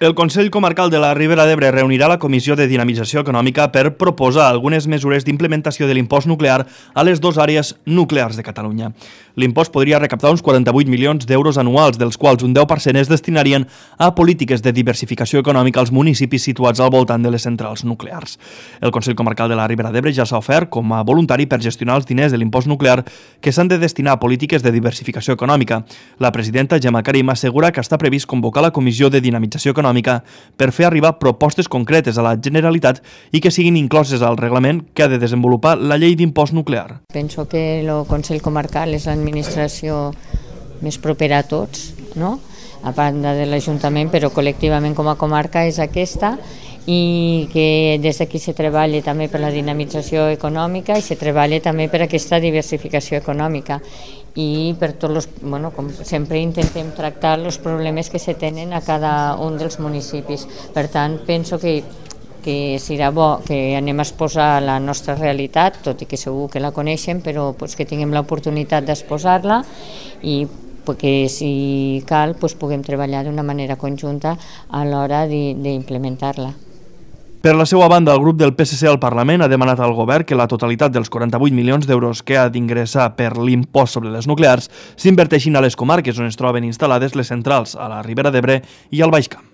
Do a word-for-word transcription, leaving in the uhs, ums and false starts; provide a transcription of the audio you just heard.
El Consell Comarcal de la Ribera d'Ebre reunirà la Comissió de Dinamització Econòmica per proposar algunes mesures d'implementació de l'impost nuclear a les dues àrees nuclears de Catalunya. L'impost podria recaptar uns quaranta-vuit milions d'euros anuals, dels quals un deu per cent es destinarien a polítiques de diversificació econòmica als municipis situats al voltant de les centrals nuclears. El Consell Comarcal de la Ribera d'Ebre ja s'ha ofert com a voluntari per gestionar els diners de l'impost nuclear que s'han de destinar a polítiques de diversificació econòmica. La presidenta Gemma Karim assegura que està previst convocar la Comissió de Dinamització Econòmica per fer arribar propostes concretes a la Generalitat i que siguin incloses al reglament que ha de desenvolupar la llei d'impost nuclear. Penso que el Consell Comarcal és l'administració més propera a tots, no? A banda de l'Ajuntament, però col·lectivament com a comarca és aquesta, i que des d'aquí se treballa també per la dinamització econòmica i se treballa també per aquesta diversificació econòmica i per tots els, bueno, com sempre intentem tractar els problemes que se tenen a cada un dels municipis. Per tant, penso que que serà bo que anem a exposar la nostra realitat, tot i que segur que la coneixem, però pues, que tinguem l'oportunitat d'exposar-la i perquè si cal pues, puguem treballar d'una manera conjunta a l'hora d'implementar-la. Per la seva banda, el grup del P S C al Parlament ha demanat al govern que la totalitat dels quaranta-vuit milions d'euros que ha d'ingressar per l'impost sobre les nuclears s'inverteixin a les comarques on es troben instal·lades les centrals, a la Ribera d'Ebre i al Baix Camp.